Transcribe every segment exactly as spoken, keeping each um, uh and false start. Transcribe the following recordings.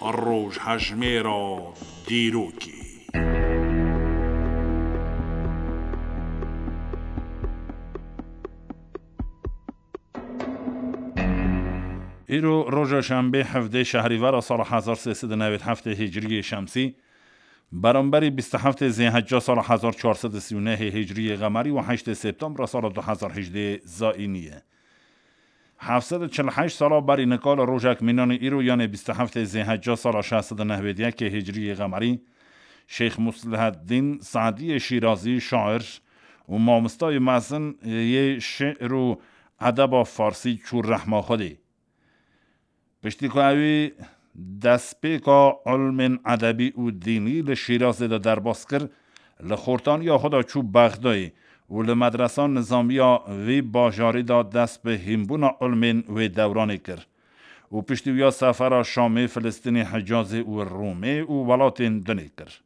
Rojhejmêra dîrokê. Îro roja şembê hevdê şehrîvera sala hezar sê sed û newêd heftê hicriyê şemsî, beramberî bîst û heftê zêhecca sala hezar çar sed û sî û nehê hicriyê qemerî û heştê septembra sala du hezar hejdê zayînî ye. Heft sed û çil û heşt sala berî nika li rojek mînanî îro, yanê bîst û heftê zêhecca sala şeş sed û newêd yekê hicriyê qemerî, Şêx Musliheddîn Sadiyê Şîrazî, şair û mamostayê mezin yê şi'r û edeba farsî çû rehma Xwedê. Piştî ku ewî destpêka ilmên edebî û dînî li Şîrazê de derbas kir, li xortaniya xwe de çû Bexdayê û li medresa nizamiya vî bajarî de dest bi hînbûna ilmên wê dewranê kir û piştî wiya sefera Şamê, Filistînê, Hicazê û Rûmê û welatên dinê kir.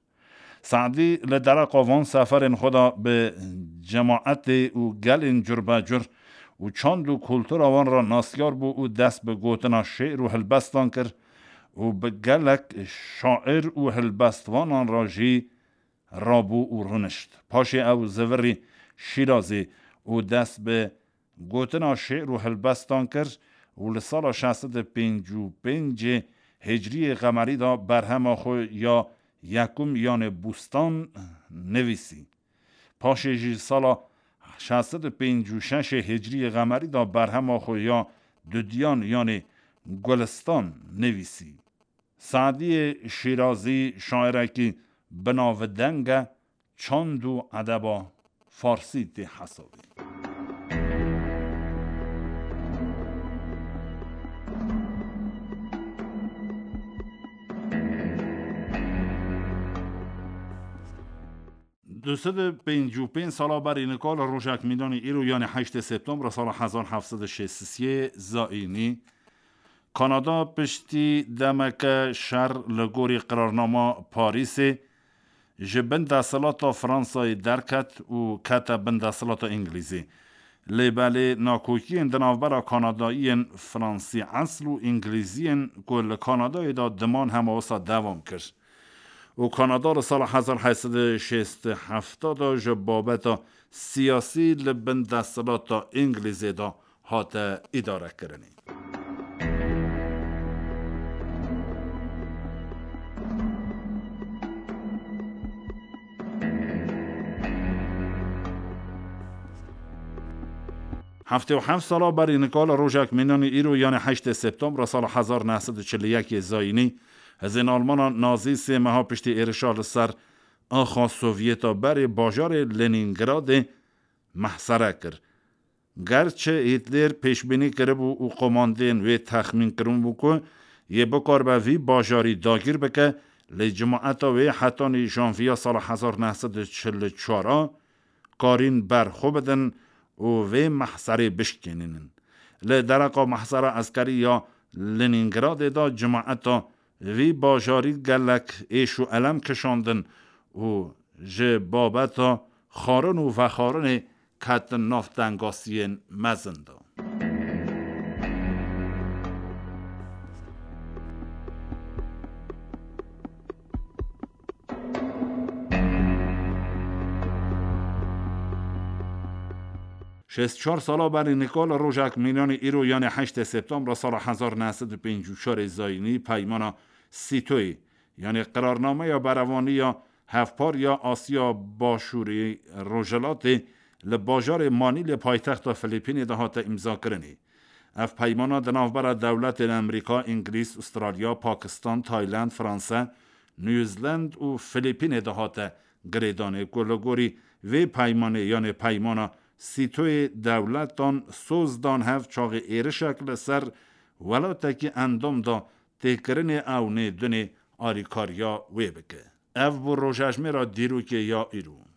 Se'dî li dereqa van seferên xwe de bi cemaetê û gelên curbecur û çand û kultura wan re nasyar bû û dest bi gotina şi'r û hilbestan kir û bi gelek şair û hilbestvanan re jî rabû û rûnişt. Paşê ew zivirî Şîrazê û dest bi gotina şi'r û hilbestan kir û li sala şeş sed û pêncî û pêncê hicriyê qemerî de berhema xwe ya yekum, yanê Bûstan, nivîsî. Paşê jî sala şeş sed û pêncî û şeşê hicriyê qemerî de berhema xwe ya dudiyan, yanê Gulistan, nivîsî. Sadiyê Şîrazî şairekî binavdeng e, çand û edeba farsî tê hesabê. Du sed û pêncî û pênc sala berî nika li rojek mînanî îro, yanê heştê septembra sala hezar heft sed û şêst û sê zayînî, Kanada piştî demeke şer li gorî qirarnama Parîsê ji bin desthilata Fransayê derket û kete bin desthilata Îngilîzê. Lê belê nakokiyên di navbera Kanadayiyên Fransî esl û Îngilîziyên ku li Kanadayê de diman hema wisa dewam kir û Kanada li sala hezar heşt sed û şêst û heft de ji babeta siyasî li bin desthilata Îngilîzê de hate îdarekirinê. Heftê û heft sala berî nika li rojek mînanî îro, yanê heştê septembra sala hezar neh sed û çil û yekê zayînî, hizên Almana Nazî sê meha piştî êrişa li ser axa Sovyeta berê bajarê Lenîngradê mehsere kir. Gerçi Hîtler pêşbînî kiribû û komandên wê texmîn kiribû ku yê bikaribe vî bajarî dagîr bike, lê cemaeta wê hetanî janviya sala hezar neh sed û çil û çar a karîn ber xwe bidin û vê mehserê bişkênînin. Li dereqa mehsera eskerî ya Lenîngradê de cemaeta vî bajarî gelek êş û elem kişandin û ji babeta xwarin û vexwarinê ketin nav tengasiyên mezin de. Şêst û çar sala berî nika li rojek mînanî îro, yanê heştê septembra sala hezar neh sed û pêncî û çarê zayînî, peymana Sîtoyê, yanê qirarnameya berevaniya hevpar ya Asya Başûrê Rojhilatê li bajarê Manîlê paytexta Filîpînê de hate îmzakirinê. Ev peymana di navbera dewletên Amerîka, Îngilîz, Ustralya, Pakistan, Tayland, Franse, New Zealand û Filîpînê de hate girêdanê ku li gorî vê peymanê, yanê peymana Sîtoyê, dewletan soz dan hev çaxê êrişek li ser welatekî endam da têkirinê ew nê dunê alîkariya wê bike. Ev bû rojejmêra dîrokê ya îro.